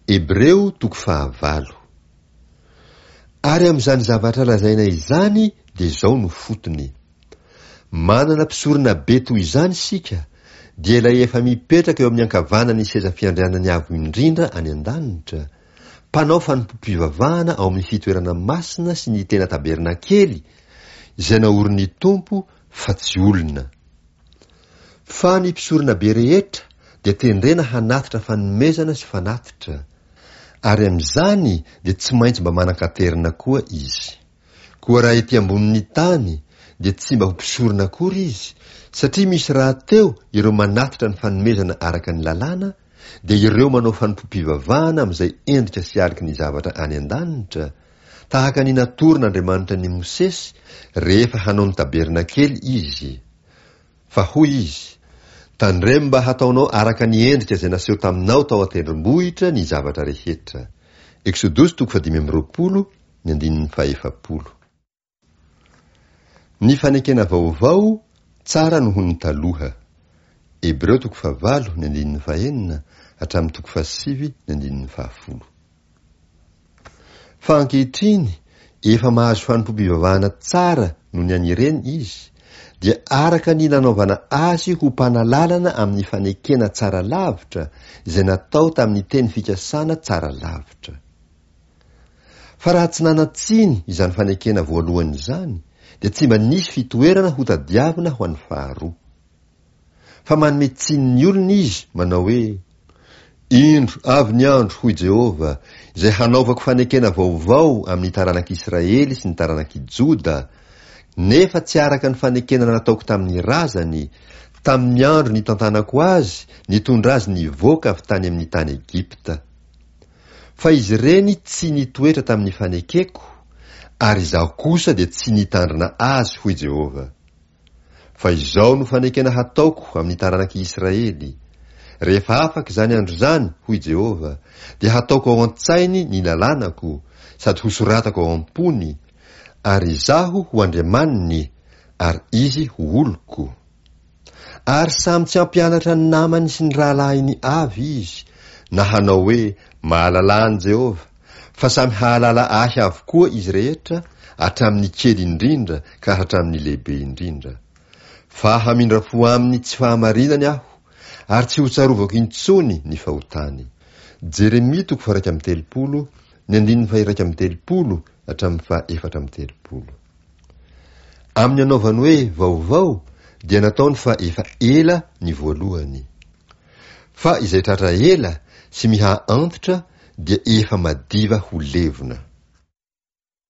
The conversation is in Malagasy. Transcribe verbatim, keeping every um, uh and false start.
Hebreo toko fahavalo. Ary amin'izany zavatra lazaina izany dia izao no fotony. Manana mpisorona be toy izany isika, dia ilay efa mipetraka eo amin'ny ankavanan'ny seza fiandrianan'ny Avo Indrindra any an-danitra, mpanao fanompoam-pivavahana ao amin'ny fitoerana masina sy ny tena tabernakely izay naorin'ny Tompo fa tsy olona. Fa ny mpisorona be rehetra dia tendrena hanatitra fanomezana sy fanatitra, ary amin'izany dia tsy maintsy mba manan-katerina koa izy. Koa raha ety ambonin'ny tany dia tsy mba ho mpisorona akory izy, satria misy rahateo ireo manatitra ny fanomezana araka ny lalàna, dia ireo manao fanompoam-pivavahana amin'izay endrika sy aloky ny zavatra any an-danitra, tahaka ny natoron'Andriamanitra an'i Mosesy rehefa hanao ny tabernakely izy. Fa hoy izy, Tandremo mba hataonao araka ny endrika izay naseho taminao tao an-tendrombohitra ny zavatra rehetra. Eksodosy toko fahadimy amby roapolo, ny andininy fahefapolo. Ny fanekena vaovao tsara noho ny taloha. Hebreo toko fahavalo, ny andininy fahenina hatramin'ny toko fahasivy, ny andininy fahafolo. Fa ankehitriny efa mahazo fanompoam-pivavahana tsara noho ny an'ireny izy, dia araka ny nanaovana azy ho mpanalalana amin'ny fanekena tsara lavitra izay natao tamin'ny teny fikasana tsara lavitra. Fa raha tsy nanan-tsiny izany fanekena voalohany izany, dia tsy mba nisy fitoerana hotadiavina ho an'ny faharoa. Fa manome tsiny ny olona izy, manao hoe, Indro, avy ny andro, hoy Jehovah, izay hanaovako fanekena vaovao amin'ny taranak'Israely sy ny taranak'i Joda, nefa tsy araka ny fanekena nataoko tamin'ny razany, tamin'ny andro nitantanako azy nitondra azy nivoaka avy tany amin'ny tany Egypta. Fa izy ireny tsy nitoetra tamin'ny fanekeko, ary izaho kosa dia tsy nitandrina azy, hoy Jehovah. Fa izao no fanekena hataoko amin'ny taranak'i Israely, Rehefa afaka izany andro izany, hoy Jehovah, dia hataoko ao an-tsainy ny lalànako, sady hosoratako ao am-pony, ary izaho ho Andriamaniny, ary izy ho oloko. Ary samy tsy hampianatra ny namany sy ny rahalahiny avy izy, na hanao hoe, Mahalalà an'i Jehovah, fa samy hahalala ahy avokoa izy rehetra, hatramin'ny kely indrindra ka hatramin'ny lehibe indrindra. Fa hamindra fo amin'ny tsy fahamarinany aho, ary tsy hotsarovako intsony ny fahotany. Jeremia toko faha-iraika amby telopolo, ny andininy faha-iraika amby telopolo hatramin'ny faha-efatra amby telopolo. Amin'ny anaovany hoe vaovao dia nataony fa efa ela ny voalohany. Fa izay tratra ela sy miha antitra dia efa madiva ho levona.